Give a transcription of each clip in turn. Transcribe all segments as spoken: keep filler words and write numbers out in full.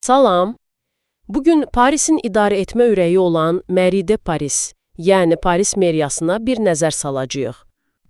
Salam. Bugün Parisin idarə etmə ürəyi olan Mairie de Paris, yəni Paris meriyasına bir nəzər salacağıq.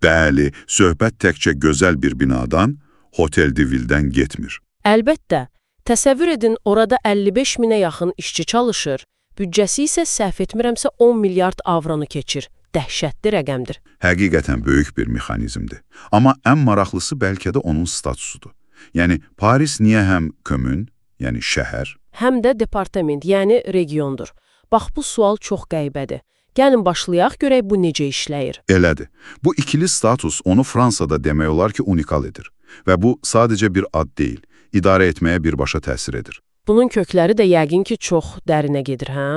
Bəli, söhbət təkcə gözəl bir binadan, Hotel de Ville'dən getmir. Əlbəttə, təsəvvür edin orada əlli beş minə yaxın işçi çalışır, büdcəsi isə səhv etmirəmsə on milyard avronu keçir. Dəhşətli rəqəmdir. Həqiqətən böyük bir mexanizmdir. Amma ən maraqlısı bəlkə də onun statusudur. Yəni, Paris niyə həm komün, yəni şəhər, həm də departament, yəni regiondur. Bax, bu sual çox qəribədir. Gəlin başlayaq, görək bu necə işləyir. Elədir. Bu ikili status onu Fransada demək olar ki, unikal edir. Və bu sadəcə bir ad deyil, idarə etməyə birbaşa təsir edir. Bunun kökləri də yəqin ki, çox dərinə gedir, hə?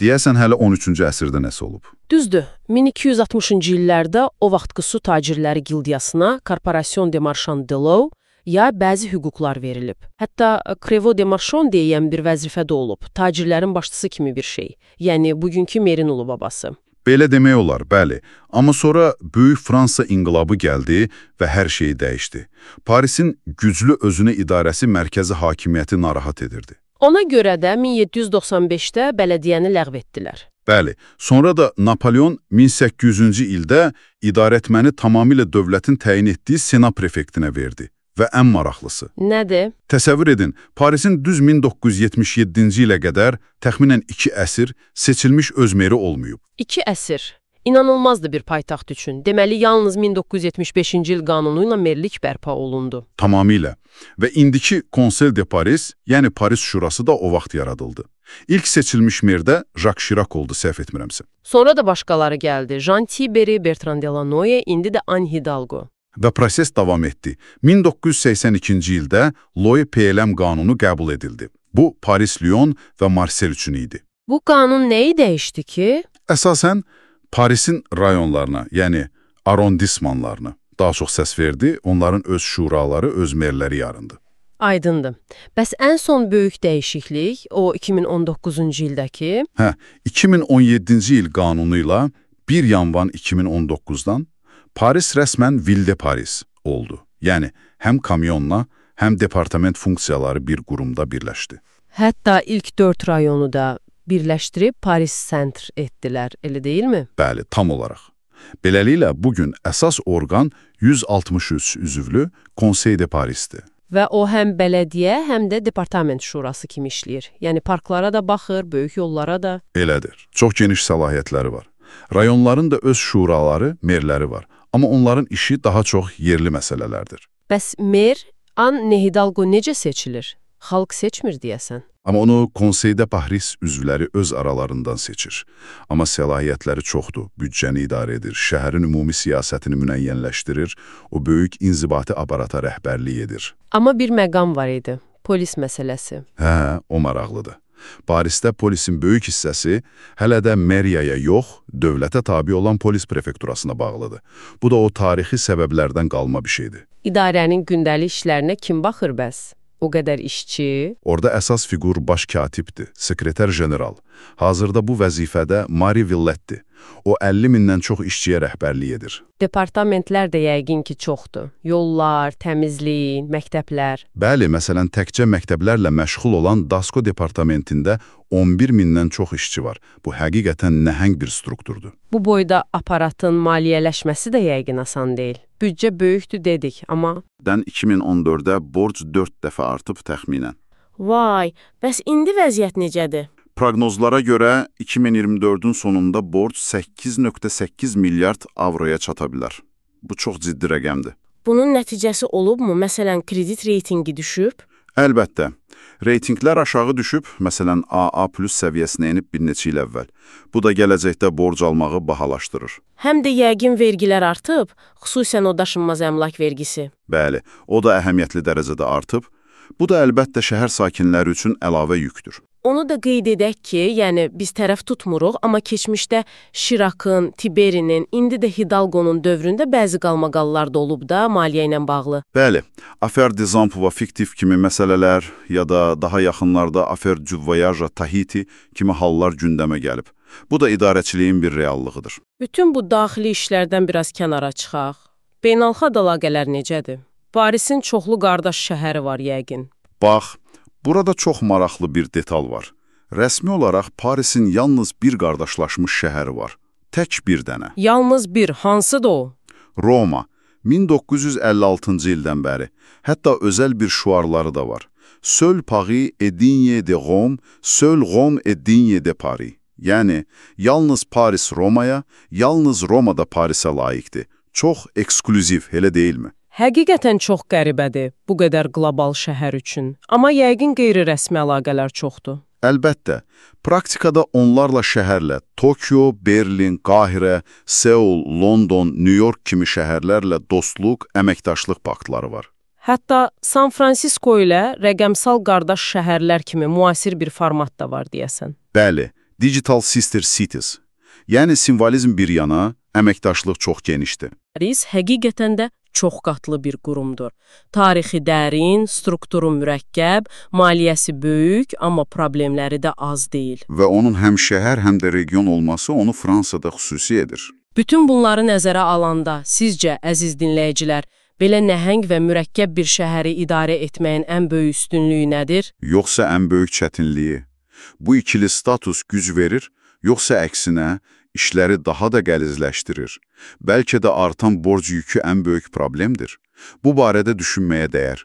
Deyəsən hələ on üçüncü əsrdə nəsə olub. Düzdür, min iki yüz altmışıncı illərdə o vaxtki su tacirləri gildiyasına Corporation de Marchand de l'Eau ya bəzi hüquqlar verilib. Hətta Crevo de Marchand deyilən bir vəzifə də olub, tacirlərin başçısı kimi bir şey. Yəni, bugünkü Merin ulu babası. Belə demək olar, bəli. Amma sonra Böyük Fransa inqilabı gəldi və hər şeyi dəyişdi. Parisin güclü özünə idarəsi mərkəzi hakimiyyəti narahat edirdi. Ona görə də min yeddi yüz doxsan beşdə bələdiyyəni ləğv etdilər. Bəli, sonra da Napolyon min səkkiz yüzüncü ildə idarəetməni tamamilə dövlətin təyin etdiyi Sena prefektinə verdi. Və ən maraqlısı. Nədir? Təsəvvür edin, Parisin düz min doqquz yüz yetmiş yeddinci ilə qədər təxminən iki əsr seçilmiş öz meri olmayıb. İki əsr. İnanılmazdı bir paytaxt üçün. Deməli, yalnız min doqquz yüz yetmiş beşinci il qanunu ilə merlik bərpa olundu. Tamamilə. Və indiki Conseil de Paris, yəni Paris Şurası da o vaxt yaradıldı. İlk seçilmiş mer də Jacques Chirac oldu, səhv etmirəmsə. Sonra da başqaları gəldi. Jean Tiberi, Bertrand Delanoye, indi də Anne Hidalgo. Və proses davam etdi. min doqquz yüz səksən ikinci ildə Loy P L M qanunu qəbul edildi. Bu, Paris, Lyon və Marsel üçün idi. Bu qanun nəyi dəyişdi ki? Əsasən, Parisin rayonlarına, yəni arrondismanlarına daha çox səs verdi, onların öz şuraları, öz merləri yarındı. Aydındır. Bəs ən son böyük dəyişiklik, o iki min on doqquzuncu ildəki? Hə, iki min on yeddinci il qanunu ilə bir yanvar iki min on doqquzdan Paris rəsmən Ville de Paris oldu. Yəni, həm kamyonla, həm departament funksiyaları bir qurumda birləşdi. Hətta ilk dörd rayonu da birləşdirib Paris Center etdilər, elə deyilmi? Bəli, tam olaraq. Beləliklə, bugün əsas orqan yüz altmış üç üzvlü Conseil de Paris'dir. Və o həm bələdiyyə, həm də departament şurası kimi işləyir. Yəni, parklara da baxır, böyük yollara da. Elədir. Çox geniş səlahiyyətləri var. Rayonların da öz şuraları, merləri var. Amma onların işi daha çox yerli məsələlərdir. Bəs mer, Anne Hidalgo necə seçilir? Xalq seçmir deyəsən. Amma onu Conseil de Paris üzvləri öz aralarından seçir. Amma səlahiyyətləri çoxdur, büdcəni idarə edir, şəhərin ümumi siyasətini müəyyənləşdirir, o böyük inzibati aparata rəhbərlik edir. Amma bir məqam var idi, polis məsələsi. Hə, o maraqlıdır. Parisdə polisin böyük hissəsi hələ də meriyaya yox, dövlətə tabi olan polis prefekturasına bağlıdır. Bu da o tarixi səbəblərdən qalma bir şeydir. İdarənin gündəlik işlərinə kim baxır bəs? O qədər işçi. Orada əsas figur baş katibdir, sekreter general. Hazırda bu vəzifədə Marie Villette'dir. O əlli mindən çox işçiyə rəhbərlik edir. Departamentlər də yəqin ki çoxdur. Yollar, təmizlik, məktəblər. Bəli, məsələn, təkcə məktəblərlə məşğul olan Dasko departamentində on bir mindən çox işçi var. Bu həqiqətən nəhəng bir strukturdur. Bu boyda aparatın maliyyələşməsi də yəqin asan deyil. Büdcə böyükdür dedik, amma... Dən iki min on dörddə borc dörd dəfə artıb təxminən. Vay, bəs indi vəziyyət necədir? Proqnozlara görə iki min iyirmi dördün sonunda borc səkkiz nöqtə səkkiz milyard avroya çata bilər. Bu çox ciddi rəqəmdir. Bunun nəticəsi olubmu? Məsələn, kredit reytingi düşüb? Əlbəttə. Reytinglər aşağı düşüb, məsələn, A A plus səviyyəsinə enib bir neçə il əvvəl. Bu da gələcəkdə borc almağı bahalaşdırır. Həm də yəqin vergilər artıb, xüsusən o daşınmaz əmlak vergisi. Bəli, o da əhəmiyyətli dərəcədə artıb. Bu da əlbəttə şəhər sakinləri üçün əlavə yükdür. Onu da qeyd edək ki, yəni biz tərəf tutmuruq, amma keçmişdə Şirakın, Tiberinin, indi də Hidalgonun dövründə bəzi qalmaqallar da olub da maliyyə ilə bağlı. Bəli, Affaire des Emplois fiktiv kimi məsələlər ya da daha yaxınlarda Affaire du Voyage Tahiti kimi hallar gündəmə gəlib. Bu da idarəçiliyin bir reallığıdır. Bütün bu daxili işlərdən biraz kənara çıxaq. Beynəlxalq əlaqələr necədir? Parisin çoxlu qardaş şəhəri var yəqin. Bax, Burada çox maraqlı bir detal var. Rəsmi olaraq Parisin yalnız bir qardaşlaşmış şəhəri var. Tək bir dənə. Yalnız bir, hansıdır o? Roma. min doqquz yüz əlli altıncı ildən bəri. Hətta özəl bir şuarları da var. Seul Paris est digne de Rome, seul Rome est digne de Paris. Yəni, yalnız Paris Romaya, yalnız Roma da Parisə layiqdir. Çox eksklüziv, elə deyilmi? Həqiqətən çox qəribədir bu qədər qlobal şəhər üçün. Amma yəqin qeyri-rəsmi əlaqələr çoxdur. Əlbəttə, praktikada onlarla şəhərlə Tokyo, Berlin, Qahirə, Seul, London, New York kimi şəhərlərlə dostluq, əməkdaşlıq paktları var. Hətta San Francisco ilə rəqəmsal qardaş şəhərlər kimi müasir bir format da var deyəsən. Bəli, Digital Sister Cities. Yəni simvolizm bir yana, əməkdaşlıq çox genişdir. Paris həqiqətən də çox qatlı bir qurumdur. Tarixi dərin, strukturu mürəkkəb, maliyyəsi böyük, amma problemləri də az deyil. Və onun həm şəhər, həm də region olması onu Fransada xüsusi edir. Bütün bunları nəzərə alanda, sizcə, əziz dinləyicilər, belə nəhəng və mürəkkəb bir şəhəri idarə etməyin ən böyük üstünlüyü nədir? Yoxsa ən böyük çətinliyi? Bu ikili status güc verir, yoxsa əksinə, işləri daha da qəlizləşdirir. Bəlkə də artan borc yükü ən böyük problemdir. Bu barədə düşünməyə dəyər.